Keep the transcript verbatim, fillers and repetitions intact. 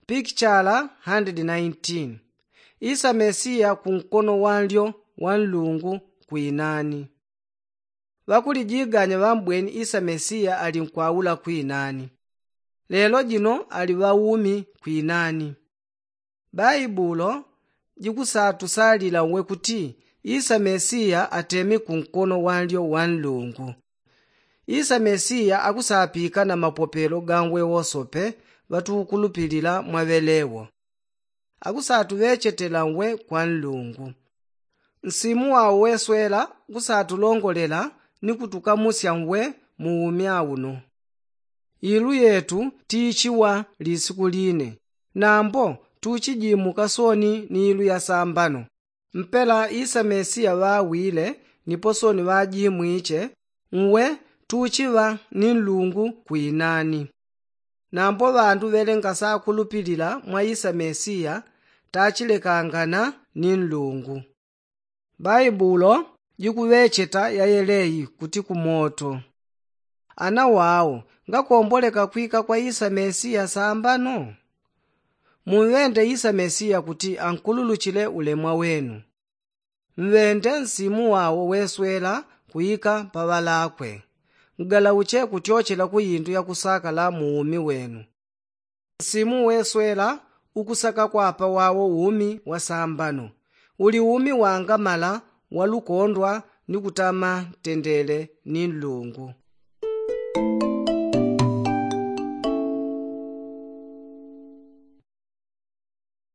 Pikichala handidi naintini. Isa mesiya kunkono wanlyo wa nlungu kwinani. Ŵakulijiganya ŵambweni isa mesiya ali nkwaula kwinani. Lelo jino ali ŵaumi kwinani. Baibulo jikusatusalila uwe kuti isa mesiya atemi kunkono wanlyo wa nlungu. Isa mesiya akusapika na mapopelo ga nwe wosope ŵatukulupilila mwa ŵelewo. Akusatuŵechetela nwe kwa nlungu. Nsimu wao weswela kusatulongolela ni kutukamusya nwe mu umi auno. Ilu yetu tiichiwa lisiku line. Nambo tuchijimuka soni ni ilu ya sambano. Mpela isa mesiya ŵawile nipo soni ŵajimwiche, nwe tuchiŵa ni nlungu kwinani. Nambo ŵandu ŵelenga sakulupilila mwa isa mesiya tachilekangana ni nlungu. Baibulo jikuŵecheta yayeleyi kuti kumoto. Ana wao ngakomboleka kwika kwa isa mesiya sambano? Munŵende isa mesiya kuti ankululuchile ulemwa wenu. Nŵende nsimu wao weswela kuika pa ŵalakwe. Ngalauche kutyochela ku indu yakusakala mu umi wenu. Nsimu weswela ukusaka kwapa wao umi wa sambano. Uli umi wangamala walukondwa ni kutama ntendele ni nlungu.